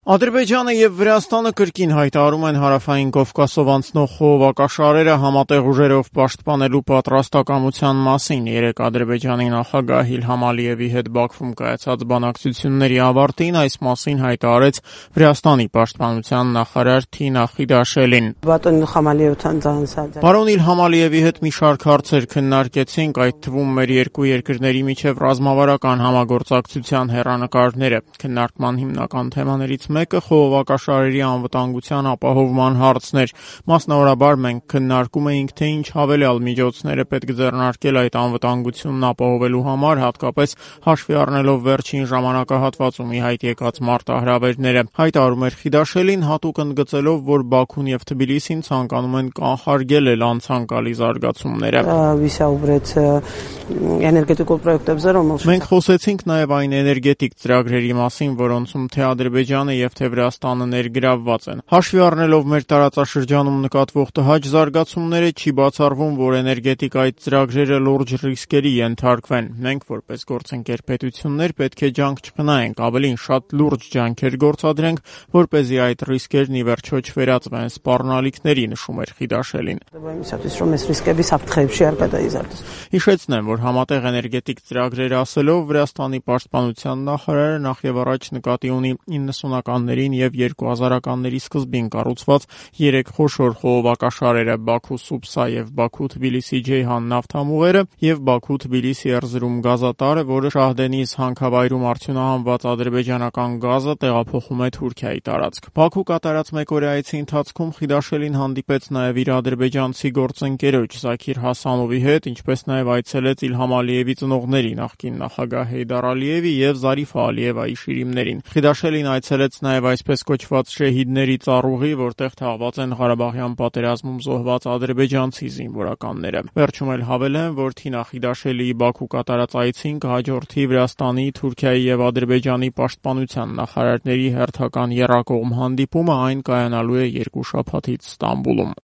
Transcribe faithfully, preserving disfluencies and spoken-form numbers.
Ադրբեջանը եւ Վրաստանը կրկին հայտարարում են Հարավային Կովկասով անցնող խողովակաշարերը համատեղ ուժերով պաշտպանելու պատրաստակամության մասին։ Երեկ Ադրբեջանի նախագահ Իլհամ Ալիևի հետ Բաքվում կայացած բանակցությունների ավարտին այս մասին հայտարարեց Վրաստանի պաշտպանության նախարար Թինա Խիդաշելին։ Պարոն Իլհամ Ալիևի հետ մի շարք հարցեր քննարկեցինք, այդ թվում մեր երկու երկրների միջև ռազմավարական համագործակցության հեռանկարները։ Քննարկման հիմնական թեմաներից մեկը խողովակաշարերի անվտանգության ապահովման հարցն էր։ Մասնավորաբար մենք քննարկում էինք, թե ինչ հավելյալ միջոցներ է պետք ձեռնարկել այդ անվտանգությունն ապահովելու համար, հատկապես հաշվի առնելով վերջին ժամանակահատվածում ի հայտ եկած մարտահրավերները։ Հայտարարում էր Խիդաշելին, հատուկ ընդգծելով, որ Բաքուն եւ Թբիլիսին ցանկանում են կանխարգելել անցանկալի զարգացումները։ Մենք խոսեցինք նաեւ այն էներգետիկ ծրագրերի մասին, որոնցում թե Ադրբեջանը եւ թե Վրաստանը ներգրավված են։ Հաշվի առնելով մեր տարածաշրջանում նկատվող տհաճ զարգացումները, չի բացառվում, որ էներգետիկ այդ ծրագրերը լուրջ ռիսկերի ենթարկվեն։ Մենք որպես գործընկեր պետություններ պետք է ջանք չխնայենք, ավելին շատ լուրջ ջանքեր գործադրենք, որպեսզի այդ ռիսկերն ի վերջո չվերածվեն սպառնալիքների, նշում էր Խիդաշելին։ Հիշեցնեմ, որ համատեղ էներգետիկ ծրագրեր ասելով Վրաստանի պաշտպանության նախարարը նախ եւ առաջ նկատի ունի իննսունականներին եւ երկու հազարականների սկզբին կառուցված երեք խոշոր խողովակաշարերը՝ Բաքու-Սուպսա եւ Բաքու-Թբիլիսի-Ջեյհան նավթամուղերը եւ Բաքու-Թբիլիսի-Էրզրում գազատարը, որը Շահդենիզ հանքավայրում արդյունահանված ադրբեջանական գազը տեղափոխում է Թուրքիայի տարածք։ Բաքու կատարած մեկօրյա այցի ընթացքում Խիդաշելին հանդիպեց նաեւ իր ադրբեջանցի գործընկերոջ Զաքիր Հասանովի հետ, ինչպես նաեւ այցելեց Իլհամ Ալիևի ծնողների նախկին նախագահ Հեյդար Ալիևի եւ Զարիֆա Ալիևայի շիրիմներին։ Խիդաշելին այցելեց նաեւ այսպես կոչված շեհիդների ծառուղի, որտեղ թաղված են Ղարաբաղյան պատերազմում զոհված ադրբեջանցի զինվորականները։ Վերջում էլ հավելեմ, որ Թինա Խիդաշելիի Բաքու կատարած այցին կհաջորդի Վրաստանի, Թուրքիայի եւ Ադրբեջանի պաշտպանության նախարարների հերթական եռակողմ հանդիպումը, այն կայանալու է երկու շաբաթից Ստամբուլում։